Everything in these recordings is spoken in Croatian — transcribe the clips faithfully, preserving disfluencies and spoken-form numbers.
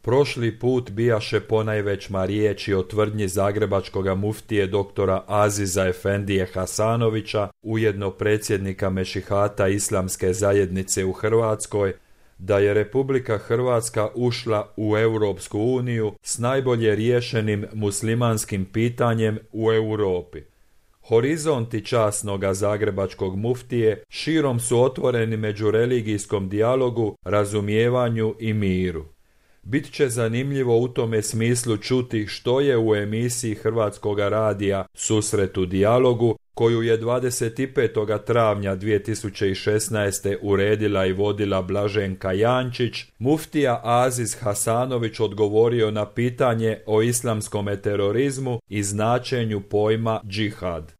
Prošli put bijaše ponajvećma riječi o tvrdnji zagrebačkoga muftije doktora Aziza Efendije Hasanovića, ujedno predsjednika Mešihata Islamske zajednice u Hrvatskoj, da je Republika Hrvatska ušla u Europsku uniju s najbolje riješenim muslimanskim pitanjem u Europi. Horizonti časnoga zagrebačkog muftije širom su otvoreni međureligijskom dijalogu, razumijevanju i miru. Bit će zanimljivo u tome smislu čuti što je u emisiji Hrvatskoga radija Susret u dijalogu, koju je dvadeset petog travnja dvije tisuće šesnaeste. uredila i vodila Blaženka Jančić, muftija Aziz Hasanović odgovorio na pitanje o islamskom terorizmu i značenju pojma džihad.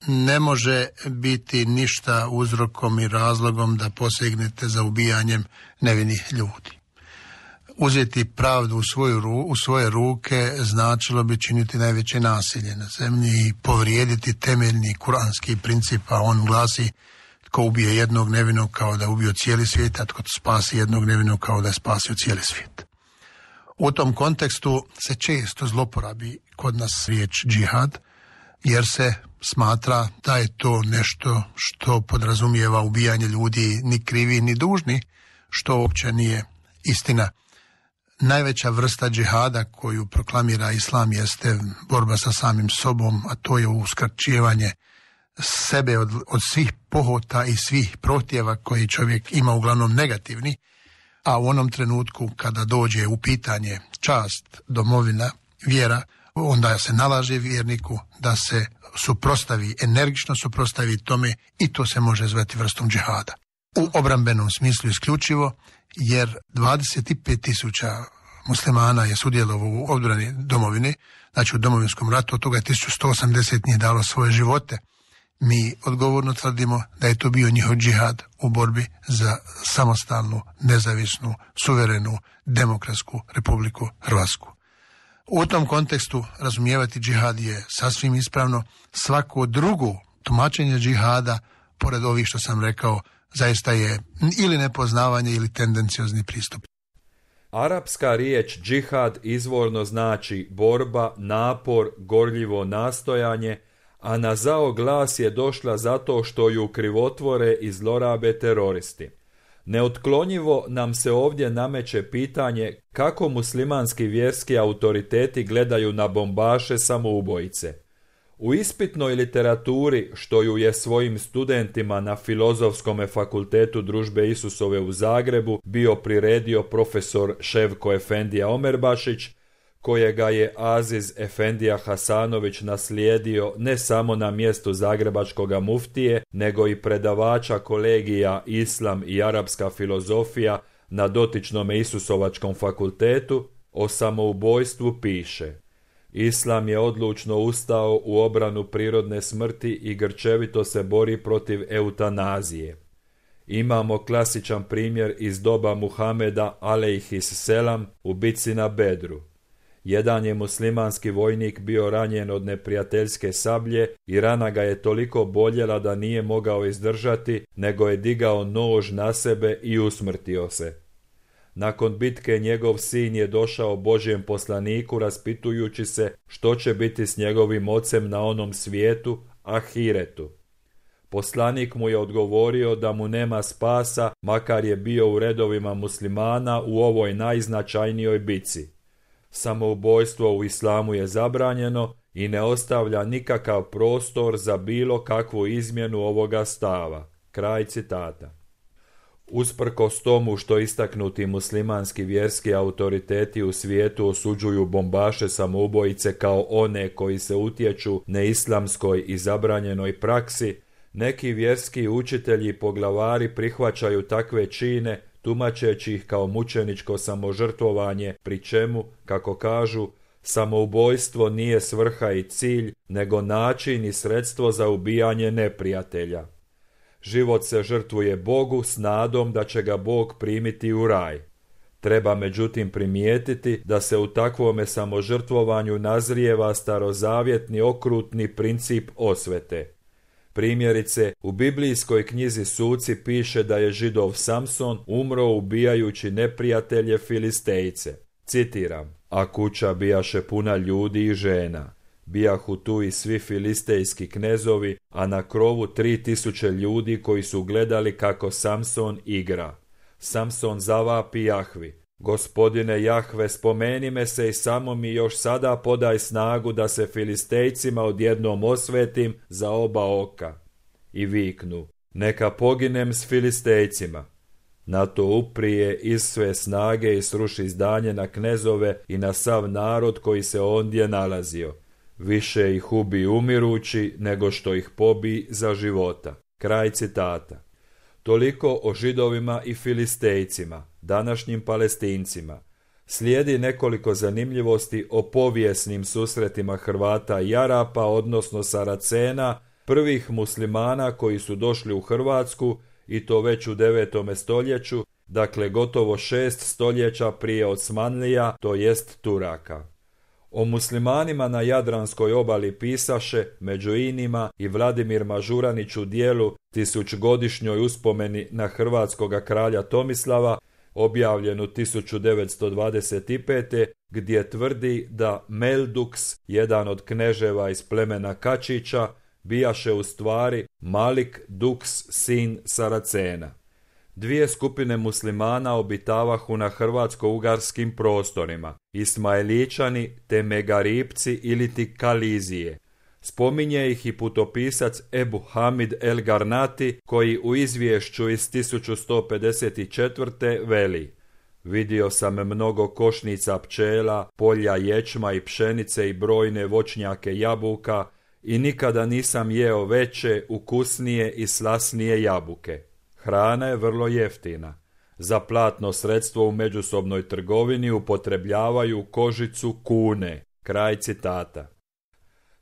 Ne može biti ništa uzrokom i razlogom da posegnete za ubijanjem nevinih ljudi. Uzeti pravdu u, svoju, u svoje ruke značilo bi činiti najveće nasilje na zemlji i povrijediti temeljni kuranski princip, a on glasi: tko ubije jednog nevinog kao da je ubio cijeli svijet, a tko spasi jednog nevinog kao da je spasio cijeli svijet. U tom kontekstu se često zloporabi kod nas riječ džihad, jer se smatra da je to nešto što podrazumijeva ubijanje ljudi ni krivi ni dužni, što uopće nije istina. Najveća vrsta džihada koju proklamira islam jeste borba sa samim sobom, a to je uskraćivanje sebe od, od svih pohota i svih prohtjeva koji čovjek ima, uglavnom negativni, a u onom trenutku kada dođe u pitanje čast, domovina, vjera, onda se nalaže vjerniku da se suprotstavi, energično suprotstavi tome, i to se može zvati vrstom džihada. U obrambenom smislu isključivo, jer dvadeset pet tisuća muslimana je sudjelovalo u odbrani domovine, znači u domovinskom ratu, od toga je tisuću sto osamdeset njih dalo svoje živote. Mi odgovorno tvrdimo da je to bio njihov džihad u borbi za samostalnu, nezavisnu, suverenu, demokratsku Republiku Hrvatsku. U tom kontekstu razumijevati džihad je sasvim ispravno. Svako drugo tumačenje džihada, pored ovih što sam rekao, zaista je ili nepoznavanje ili tendenciozni pristup. Arapska riječ džihad izvorno znači borba, napor, gorljivo nastojanje, a na zao glas je došla zato što ju krivotvore i zlorabe teroristi. Neotklonjivo nam se ovdje nameće pitanje kako muslimanski vjerski autoriteti gledaju na bombaše samoubojice. U ispitnoj literaturi, što ju je svojim studentima na Filozofskom fakultetu Družbe Isusove u Zagrebu bio priredio profesor Ševko Efendija Omerbašić, kojega je Aziz Efendija Hasanović naslijedio ne samo na mjestu zagrebačkoga muftije, nego i predavača kolegija Islam i arapska filozofija na dotičnom Isusovačkom fakultetu, o samoubojstvu piše: Islam je odlučno ustao u obranu prirodne smrti i grčevito se bori protiv eutanazije. Imamo klasičan primjer iz doba Muhameda alejhis selam u bitci na Bedru. Jedan je muslimanski vojnik bio ranjen od neprijateljske sablje i rana ga je toliko boljela da nije mogao izdržati, nego je digao nož na sebe i usmrtio se. Nakon bitke njegov sin je došao Božjem poslaniku raspitujući se što će biti s njegovim ocem na onom svijetu, ahiretu. Poslanik mu je odgovorio da mu nema spasa, makar je bio u redovima muslimana u ovoj najznačajnijoj bitci. Samoubojstvo u islamu je zabranjeno i ne ostavlja nikakav prostor za bilo kakvu izmjenu ovoga stava. Kraj citata. Usprkos tomu što istaknuti muslimanski vjerski autoriteti u svijetu osuđuju bombaše samoubojice kao one koji se utječu neislamskoj i zabranjenoj praksi, neki vjerski učitelji i poglavari prihvaćaju takve čine tumačeći ih kao mučeničko samožrtvovanje, pri čemu, kako kažu, samoubojstvo nije svrha i cilj, nego način i sredstvo za ubijanje neprijatelja. Život se žrtvuje Bogu s nadom da će ga Bog primiti u raj. Treba međutim primijetiti da se u takvome samožrtvovanju nazrijeva starozavjetni okrutni princip osvete. Primjerice, u biblijskoj knjizi Suci piše da je Židov Samson umro ubijajući neprijatelje Filistejce. Citiram: a kuća bijaše puna ljudi i žena. Bijahu tu i svi filistejski knezovi, a na krovu tri tisuće ljudi koji su gledali kako Samson igra. Samson zavapi Jahvi: Gospodine Jahve, spomeni me se i samo mi još sada podaj snagu da se Filistejcima odjednom osvetim za oba oka. I viknu: neka poginem s Filistejcima. Na to uprije iz sve snage i sruši zdanje na knezove i na sav narod koji se ondje nalazio. Više ih ubi umirući nego što ih pobi za života. Kraj citata. Toliko o Židovima i Filistejcima, današnjim Palestincima. Slijedi nekoliko zanimljivosti o povijesnim susretima Hrvata i Arapa, odnosno Saracena, prvih muslimana koji su došli u Hrvatsku, i to već u devetome stoljeću, dakle gotovo šest stoljeća prije Osmanlija, to jest Turaka. O muslimanima na Jadranskoj obali pisaše, među inima, i Vladimir Mažuranić u dijelu Tisućgodišnjoj uspomeni na hrvatskoga kralja Tomislava, objavljenu tisuću devetsto dvadeset pete. gdje tvrdi da Melduks, jedan od kneževa iz plemena Kačića, bijaše u stvari Malik Duks, sin Saracena. Dvije skupine muslimana obitavahu na hrvatsko-ugarskim prostorima, Ismailičani te Megaripci iliti Kalizije. Spominje ih i putopisac Ebu Hamid el Garnati, koji u izvješću iz tisuću sto pedeset četvrte veli: vidio sam mnogo košnica pčela, polja ječma i pšenice i brojne voćnjake jabuka, i nikada nisam jeo veće, ukusnije i slasnije jabuke. Hrana je vrlo jeftina. Za platno sredstvo u međusobnoj trgovini upotrebljavaju kožicu kune. Kraj citata.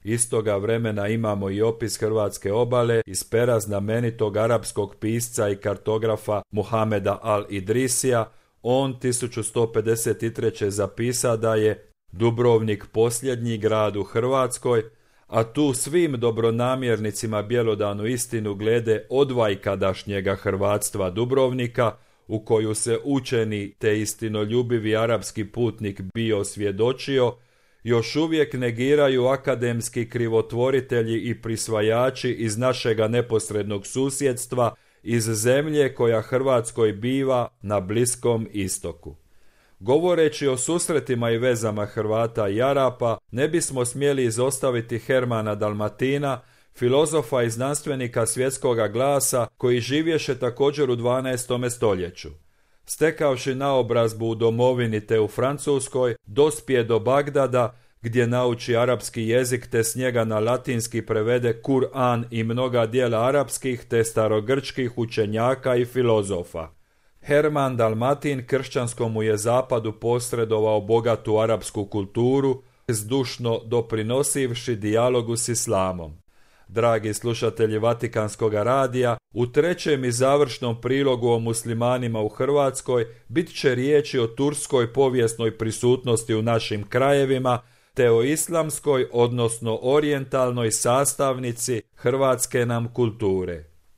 Istoga vremena imamo i opis hrvatske obale iz pera znamenitog arapskog pisca i kartografa Muhameda al-Idrisija. On tisuću sto pedeset treće zapisa da je Dubrovnik posljednji grad u Hrvatskoj, a tu svim dobronamjernicima bjelodanu istinu glede odvajkadašnjega hrvatstva Dubrovnika, u koju se učeni te istinoljubivi arapski putnik bio svjedočio, još uvijek negiraju akademski krivotvoritelji i prisvajači iz našega neposrednog susjedstva, iz zemlje koja Hrvatskoj biva na Bliskom istoku. Govoreći o susretima i vezama Hrvata i Arapa, ne bismo smjeli izostaviti Hermana Dalmatina, filozofa i znanstvenika svjetskoga glasa, koji živješe također u dvanaestome stoljeću. Stekavši naobrazbu u domovini te u Francuskoj, dospije do Bagdada, gdje nauči arapski jezik te s njega na latinski prevede Kur'an i mnoga dijela arapskih te starogrčkih učenjaka i filozofa. Herman Dalmatin kršćanskom je zapadu posredovao bogatu arapsku kulturu, zdušno doprinosivši dijalogu s islamom. Dragi slušatelji Vatikanskog radija, u trećem i završnom prilogu o muslimanima u Hrvatskoj bit će riječi o turskoj povijesnoj prisutnosti u našim krajevima, te o islamskoj, odnosno orijentalnoj sastavnici hrvatske nam kulture.